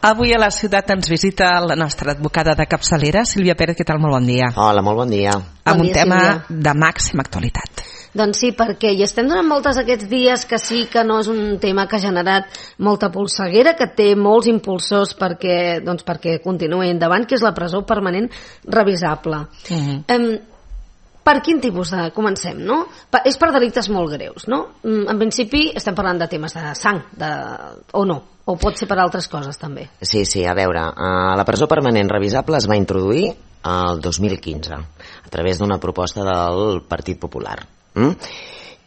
Avui a la ciutat ens visita la nostra advocada de capçalera, Sílvia Pérez. Què tal? Molt bon dia. Hola, molt bon dia. Amb un tema de màxima actualitat. Doncs sí, perquè hi estem donant moltes aquests dies que sí que no és un tema que ha generat molta polseguera, que té molts impulsors perquè continuï endavant, que és la presó permanent revisable. Per quin tipus de... Comencem, no? És per delictes molt greus, no? En principi estem parlant de temes de sang, o no? O pot ser per altres coses, també? Sí, a veure, la presó permanent revisable es va introduir el 2015 a través d'una proposta del Partit Popular.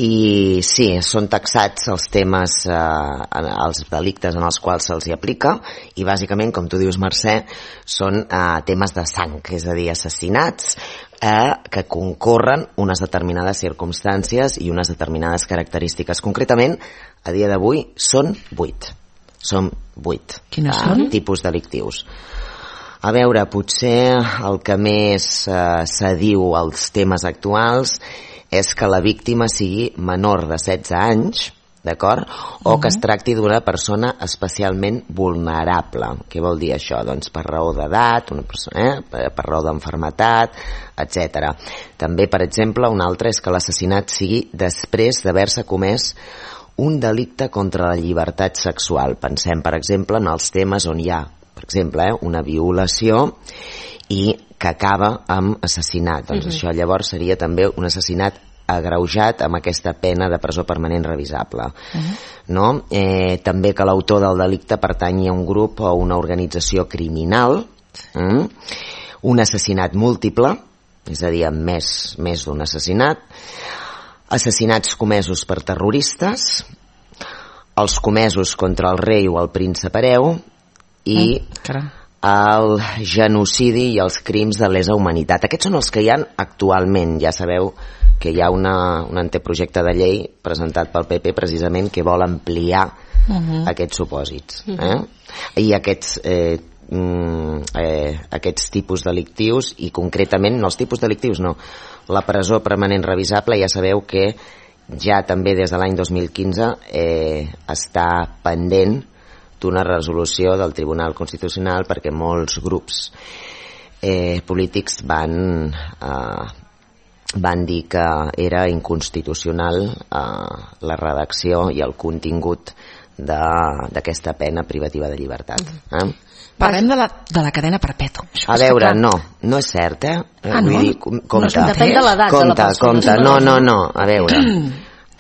I sí, són taxats els temes, els delictes en els quals se'ls hi aplica, i bàsicament, com tu dius, Mercè, són temes de sang, és a dir, assassinats que concorren unes determinades circumstàncies i unes determinades característiques. Concretament, a dia d'avui, són 8. Són 8 tipus delictius. A veure, potser el que més s'adiu als temes actuals és que la víctima sigui menor de 16 anys, d'acord? O que es tracti d'una persona especialment vulnerable. Què vol dir això? Doncs per raó d'edat, per raó d'enfermetat, etc. També, per exemple, un altre és que l'assassinat sigui després d'haver-se comès un delicte contra la llibertat sexual. Pensem, per exemple, en els temes on hi ha, per exemple, una violació i que acaba amb assassinat. Doncs això llavors seria també un assassinat agreujat amb aquesta pena de presó permanent revisable. No? També que l'autor del delicte pertanyi a un grup o una organització criminal, un assassinat múltiple, és a dir, amb més d'un assassinat, assassinats comesos per terroristes, els comesos contra el rei o el príncep hereu i el genocidi i els crims de lesa humanitat. Aquests són els que hi ha actualment. Ja sabeu que hi ha un anteprojecte de llei presentat pel PP precisament que vol ampliar aquests supòsits. I aquests tipus delictius, i concretament no els tipus delictius, no, la presó permanent revisable, ja sabeu que ja també des de l'any 2015 està pendent d'una resolució del Tribunal Constitucional perquè molts grups polítics van dir que era inconstitucional la redacció i el contingut d'aquesta pena privativa de llibertat. Parlem de la cadena perpètua. A veure, no és cert, Vull dir, compte. Depèn de l'edat de la persona. No, a veure.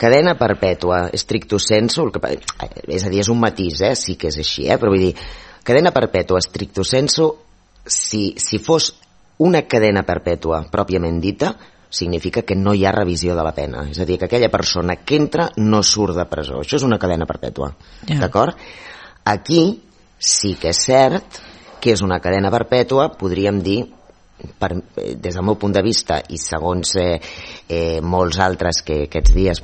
Cadena perpètua, stricto sensu, és a dir, és un matís, sí que és així, però vull dir, cadena perpètua, stricto sensu, si fos una cadena perpètua pròpiament dita, significa que no hi ha revisió de la pena. És a dir, que aquella persona que entra no surt de presó. Això és una cadena perpètua. D'acord? Aquí sí que és cert que és una cadena perpètua, podríem dir, des del meu punt de vista i segons molts altres que aquests dies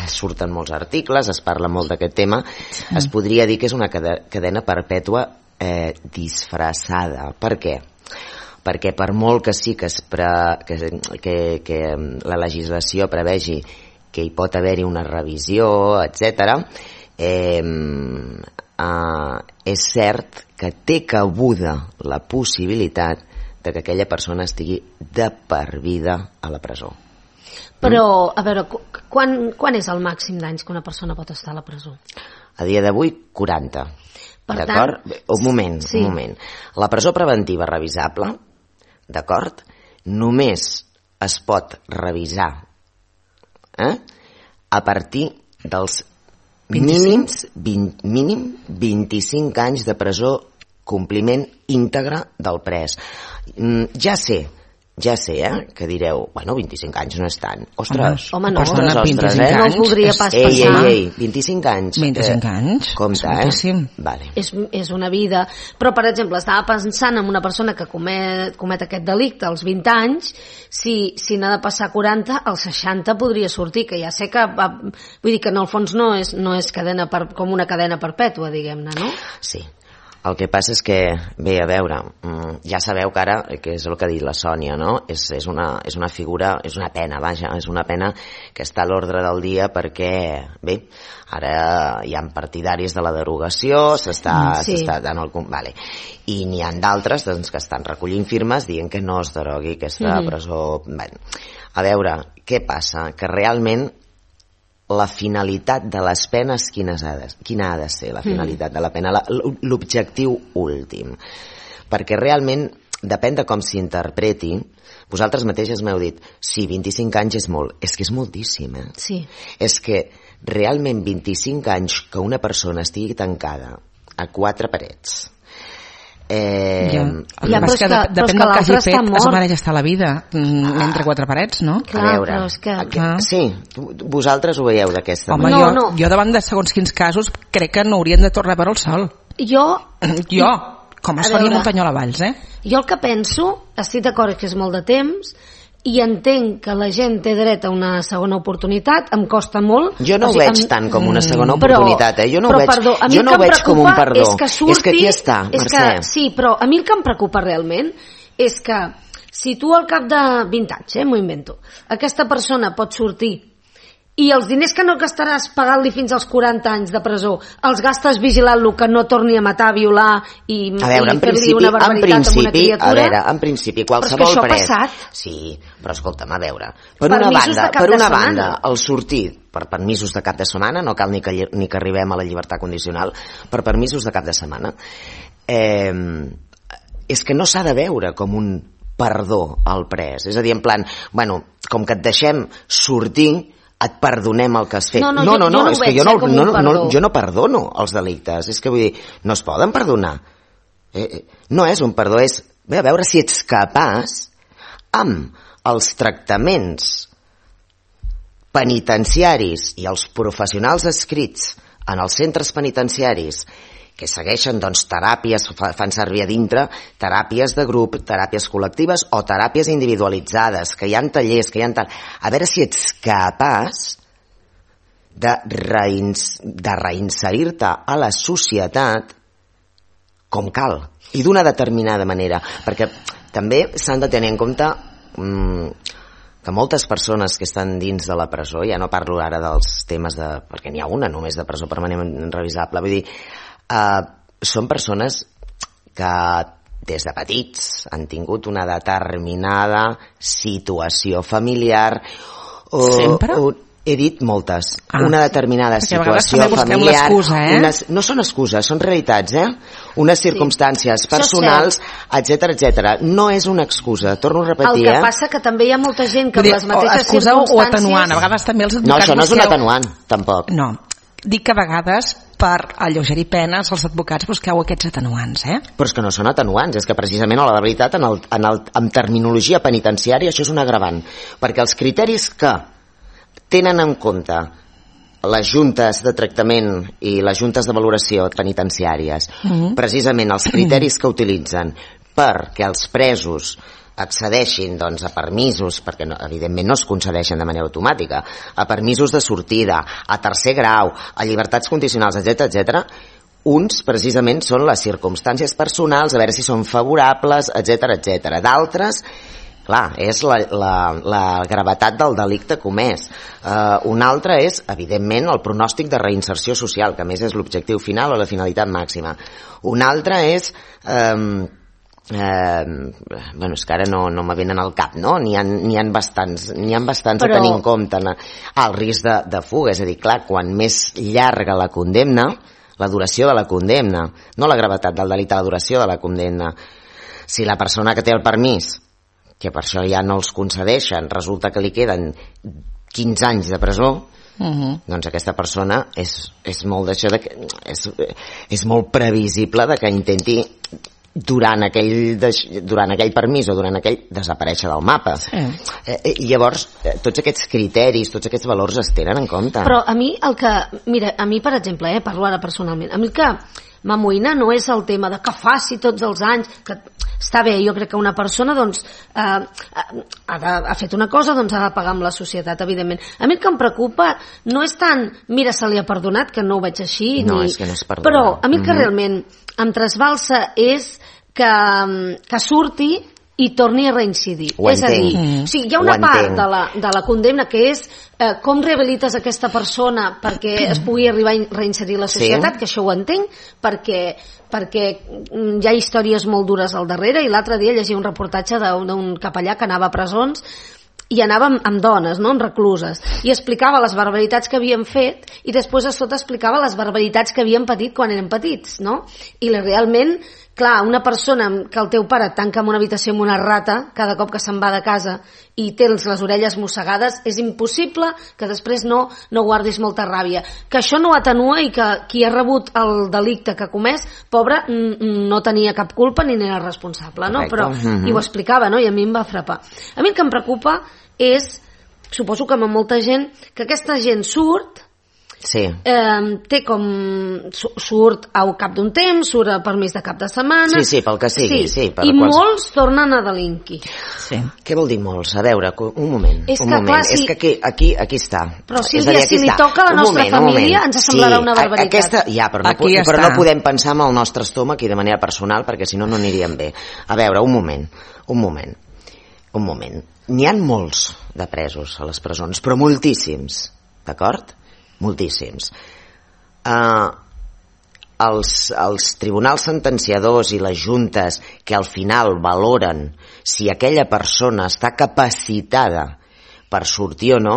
surten molts articles, es parla molt d'aquest tema, es podria dir que és una cadena perpètua disfressada. Per què? Perquè per molt que sí que la legislació prevegi que hi pot haver-hi una revisió, etc., és cert que té cabuda la possibilitat de que aquella persona estigui de per vida a la presó. Però, a veure, quan és el màxim d'anys que una persona pot estar a la presó? A dia d'avui, 40. D'acord? Un moment. La presó preventiva revisable, d'acord? Només es pot revisar a partir dels mínim 25 anys de presó, compliment íntegre del pres. Ja sé que direu, 25 anys no és tant. Ostres, home, no, ostres, 25 anys, no voldria pas passar. Ei, 25 anys. 25 anys? Compte, Vale. És una vida. Però, per exemple, estava pensant en una persona que comet aquest delicte als 20 anys, si n'ha de passar 40, als 60 podria sortir, que ja sé que... Vull dir que en el fons no és com una cadena perpètua, diguem-ne, no? Sí. El que passa és que, bé, a veure, ja sabeu que ara, que és el que ha dit la Sònia, no? És una figura, és una pena, vaja, és una pena que està a l'ordre del dia perquè, bé, ara hi ha partidaris de la derogació, s'està dant el... Vale. I n'hi ha d'altres doncs, que estan recollint firmes dient que no es derogui aquesta presó. Bé, a veure, què passa? Que realment la finalitat de les penes quina ha de ser la finalitat de la pena, l'objectiu últim, perquè realment depèn de com s'interpreti. Vosaltres mateixes m'heu dit, sí, 25 anys és molt, és que és moltíssim, Sí. És que realment 25 anys que una persona estigui tancada a 4 parets, depèn del que hagi fet, es mereix estar a la vida entre 4 parets, no? Clar, a veure, però és que... sí, vosaltres ho veieu d'aquesta manera. Home, jo davant de segons quins casos crec que no haurien de tornar a veure el sol. Jo, com es faria Muntanyola Valls, Jo el que penso, estic d'acord que és molt de temps, i entenc que la gent té dret a una segona oportunitat, em costa molt. Jo no ho veig tant com una segona oportunitat, Jo no ho veig com un perdó. És que aquí està, Mercè. Sí, però a mi el que em preocupa realment és que si tu al cap de 20 anys, m'ho invento, aquesta persona pot sortir i els diners que no gastaràs pagant-li fins als 40 anys de presó els gastes vigilant-lo que no torni a matar, a violar i fer-li una barbaritat amb una criatura. A veure, en principi, qualsevol pres... Sí, però escolta'm, a veure, per una banda, el sortir per permisos de cap de setmana, no cal ni que arribem a la llibertat condicional, per permisos de cap de setmana, és que no s'ha de veure com un perdó al pres. És a dir, en plan, bueno, com que et deixem sortir, et perdonem el que has fet. No, és que jo no perdono els delictes. És que vull dir, no es poden perdonar. No és un perdó, és a veure si ets capaç amb els tractaments penitenciaris i els professionals adscrits en els centres penitenciaris que segueixen doncs, teràpies, fan servir a dintre teràpies de grup, teràpies col·lectives o teràpies individualitzades, que hi ha tallers, que hi ha tal... A veure si ets capaç de reinserir-te a la societat com cal, i d'una determinada manera, perquè també s'han de tenir en compte que moltes persones que estan dins de la presó, ja no parlo ara dels temes de... perquè n'hi ha una només de presó permanent revisable, vull dir, són persones que des de petits han tingut una determinada situació familiar sempre? He dit moltes. Una determinada situació familiar. No són excuses, són realitats, unes circumstàncies personals, etc. No és una excusa, torno a repetir. El que passa que també hi ha molta gent que amb les mateixes circumstàncies... o atenuant, a vegades també els advocats... No, això no és un atenuant, tampoc. No, dic que a vegades per alleugerir penes els advocats busqueu aquests atenuants, Però és que no són atenuants, és que precisament a la veritat en terminologia penitenciària això és un agravant, perquè els criteris que tenen en compte les juntes de tractament i les juntes de valoració penitenciàries, precisament els criteris que utilitzen perquè els presos accedeixin doncs, a permisos, perquè evidentment no es concedeixen de manera automàtica, a permisos de sortida, a tercer grau, a llibertats condicionals, etc. Uns precisament són les circumstàncies personals, a veure si són favorables, etc. D'altres, clar, és la gravetat del delicte comès. Un altre és, evidentment, el pronòstic de reinserció social, que a més és l'objectiu final o la finalitat màxima. Un altre és... bueno, és que ara no me venen al cap, no? N'hi ha bastants a tenir en compte. El risc de fuga, és a dir, clar, quan més llarga la condemna, la duració de la condemna, no la gravetat del delicte, la duració de la condemna. Si la persona que té el permís, que per això ja no els concedeixen, resulta que li queden 15 anys de presó, doncs aquesta persona és molt d'això, és molt previsible de que intenti durant aquell permís o durant aquell desaparèixer del mapa. Llavors, tots aquests criteris, tots aquests valors es tenen en compte. Però a mi mira, a mi per exemple, parlo ara personalment, a mi el que m'amoïna no és el tema de que faci tots els anys, que està bé, jo crec que una persona doncs, ha fet una cosa, doncs ha de pagar amb la societat, evidentment. A mi el que em preocupa no és tant, mira, se li ha perdonat, que no ho veig així, no, és que no es perdona. Però a mi el que realment em trasbalsa és que surti i torni a reincidir. És a dir, hi ha una part de la condemna que és com rehabilites aquesta persona perquè es pugui arribar a reinserir la societat, que això ho entenc, perquè hi ha històries molt dures al darrere, i l'altre dia llegia un reportatge d'un capellà que anava a presons i anava amb dones, no?, amb recluses, i explicava les barbaritats que havien fet i després a sota explicava les barbaritats que havien patit quan eren petits, no? I realment, clar, una persona que el teu pare et tanca en una habitació amb una rata cada cop que se'n va de casa i tens les orelles mossegades, és impossible que després no guardis molta ràbia. Que això no atenua i que qui ha rebut el delicte que ha comès, pobre, no tenia cap culpa ni n'era responsable, no? Però, i ho explicava, no? I a mi em va frapar. A mi el que em preocupa és, suposo que amb molta gent, que aquesta gent surt, té com surt al cap d'un temps, surt a permís de cap de setmana, pel que sigui, i molts tornen a delinquir. Què vol dir molts? A veure, un moment. És que aquí està. Però Sílvia, si li toca a la nostra família ens semblarà una barbaritat. Però no podem pensar en el nostre estómac i de manera personal, perquè si no aniríem bé. A veure, un moment. N'hi ha molts de presos a les presons, però moltíssims, d'acord? Moltíssims. Els tribunals sentenciadors i les juntes que al final valoren si aquella persona està capacitada per sortir o no,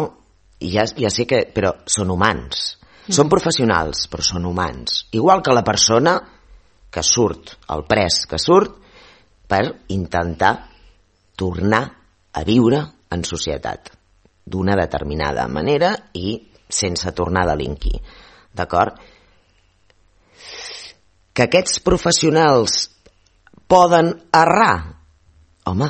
ja sé que, però són humans, són professionals, però són humans, igual que la persona que surt, el pres que surt, per intentar tornar a viure en societat d'una determinada manera i sense tornar a delinquir, d'acord? Que aquests professionals poden errar? Home,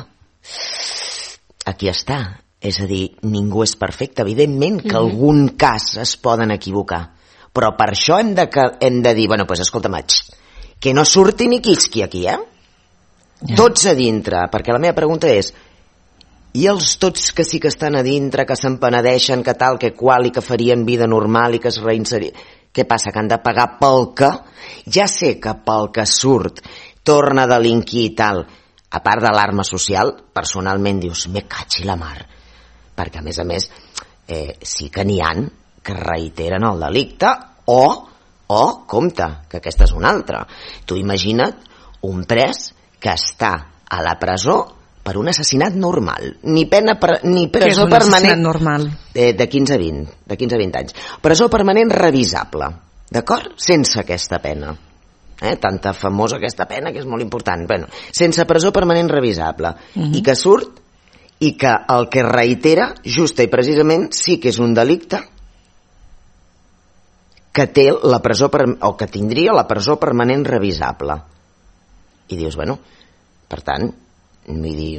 aquí està. És a dir, ningú és perfecte. Evidentment que algun cas es poden equivocar, però per això hem de dir, bueno, doncs escolta'm, que no surti ni quisqui aquí, tots a dintre, perquè la meva pregunta és, i els tots que sí que estan a dintre, que se'n penedeixen, que tal, que qual, i que farien vida normal i que es reinserien, què passa, que han de pagar pel que? Ja sé que pel que surt torna a delinquir i tal, a part de l'arma social, personalment dius, me caig i la mar, perquè a més sí que n'hi han que reiteren el delicte o compte, que aquesta és una altra. Tu imagina't un pres que està a la presó per un assassinat normal, ni presó permanent normal? De 15 a 20 anys. Presó permanent revisable, d'acord? Sense aquesta pena. Tanta famosa aquesta pena que és molt important. Bueno, sense presó permanent revisable. I que surt i que el que reitera justa i precisament sí que és un delicte que té la presó o que tindria la presó permanent revisable. I dius, bueno, per tant, vull dir,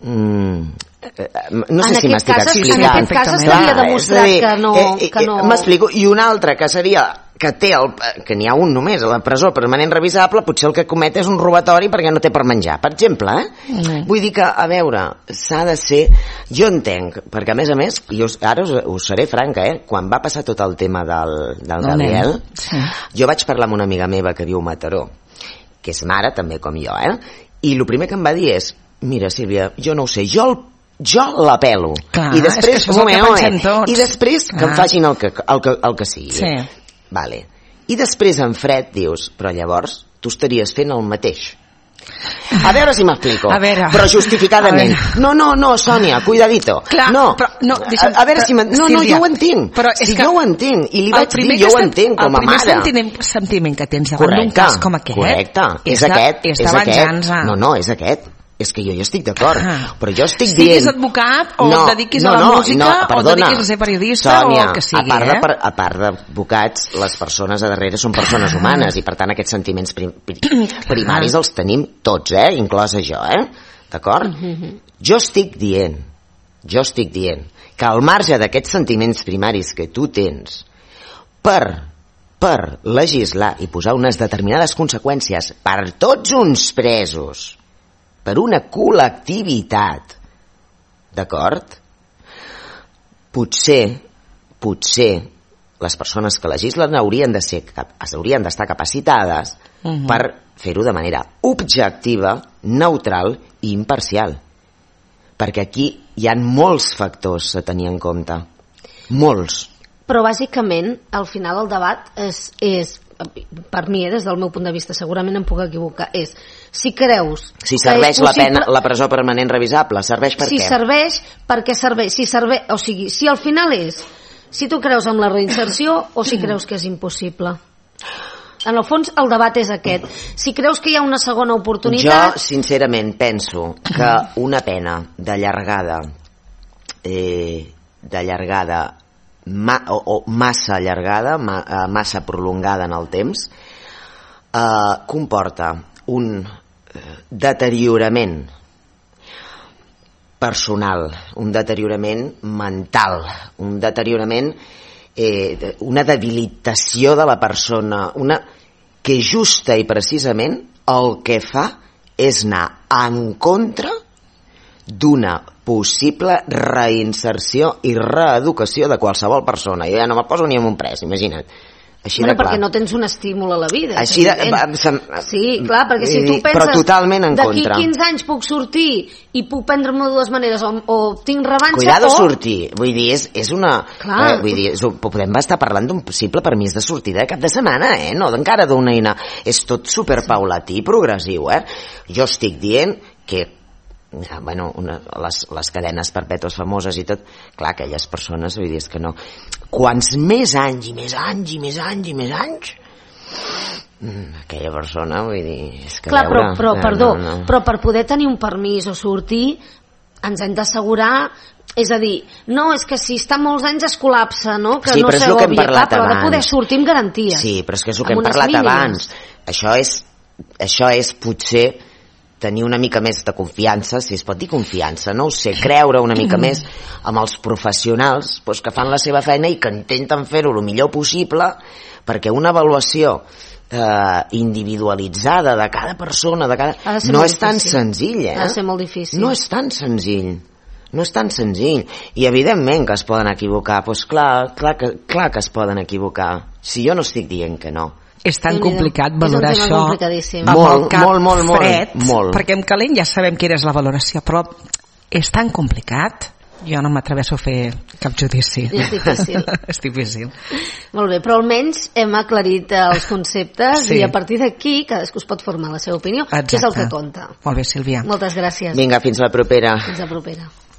no sé si m'estic explicant. En aquest cas estaria demostrat que no... M'explico. I un altre que seria que n'hi ha un només a la presó permanent revisable, potser el que comet és un robatori perquè no té per menjar, per exemple, Vull dir que, a veure, s'ha de ser... Jo entenc, perquè a més, ara us seré franca, quan va passar tot el tema del Gabriel, jo vaig parlar amb una amiga meva que viu a Mataró, que és mare també com jo, i el primer que em va dir és, mira, Sílvia, jo no ho sé, jo la pelo. I després, i després que em facin el que sigui. Vale. I després en fred dius, però llavors tu estaries fent el mateix. A veure si m'explico. Però justificadament. No, Sònia, cuidadito. A veure si m'entenc. No, jo ho entenc. Jo ho entenc. I li vaig dir, jo ho entenc com a mare. El primer sentiment que tens davant d'un cas com aquest... Correcte, és aquest. No, és aquest. És que jo hi estic d'acord, però jo estic dient... Siguis advocat o et dediquis a la música o et dediquis a ser periodista o el que sigui. A part d'advocats, les persones a darrere són persones humanes i per tant aquests sentiments primaris els tenim tots, inclosa jo, d'acord? Jo estic dient que al marge d'aquests sentiments primaris que tu tens per per legislar i posar unes determinades conseqüències per tots uns presos, per una col·lectivitat, d'acord? Potser les persones que legislen haurien d'estar capacitades per fer-ho de manera objectiva, neutral i imparcial. Perquè aquí hi ha molts factors a tenir en compte. Molts. Però bàsicament, al final el debat és per mi, des del meu punt de vista, segurament em puc equivocar, és si creus... Si serveix la pena, la presó permanent revisable, serveix per què? Si serveix, per què serveix? O sigui, si al final és si tu creus en la reinserció o si creus que és impossible. En el fons, el debat és aquest. Si creus que hi ha una segona oportunitat... Jo, sincerament, penso que una pena de llargada o massa allargada, massa prolongada en el temps, comporta un deteriorament personal, un deteriorament mental, un deteriorament, una debilitació de la persona, que justa i precisament el que fa és anar en contra d'una possible reinserció i reeducació de qualsevol persona. Jo ja no me poso ni en un pres, imagina't. Així de clar. Perquè no tens un estímul a la vida. Així de... Sí, clar, perquè si tu penses... Però totalment en d'aquí contra. 15 anys puc sortir i puc prendre'm de dues maneres o tinc revanxa Cuidado sortir. Vull dir, és una... Clar. Vull dir, podem estar parlant d'un possible permís de sortida de cap de setmana, no encara d'una eina. És tot superpaulatí i progressiu, Jo estic dient que bueno, les cadenes perpètues famoses i tot, clar, aquelles persones, vull dir, és que no, quants més anys i més anys i més anys i més anys, aquella persona, vull dir, és que clar, veure, però per poder tenir un permís o sortir ens hem d'assegurar, és a dir, no, és que si està molts anys es col·lapsa, no? Que sí, no però és el que hem parlat però abans. ha de poder sortir amb garanties. Sí, però és que és el que hem parlat abans. Això és potser tenir una mica més de confiança, si es pot dir confiança, no ho sé, creure una mica més amb els professionals que fan la seva feina i que intenten fer-ho el millor possible, perquè una avaluació individualitzada de cada persona, no és tan senzill, Ha de ser molt difícil. No és tan senzill. No és tan senzill. I evidentment que es poden equivocar, doncs clar que es poden equivocar. Si jo no estic dient que no. És tan complicat valorar això molt, fred, perquè en calent ja sabem quina és la valoració, però és tan complicat, jo no m'atreveixo a fer cap judici. És difícil. És difícil. Molt bé, però almenys hem aclarit els conceptes i a partir d'aquí cadascú es pot formar la seva opinió, que és el que compta. Molt bé, Sílvia. Moltes gràcies. Vinga, fins la propera. Fins la propera.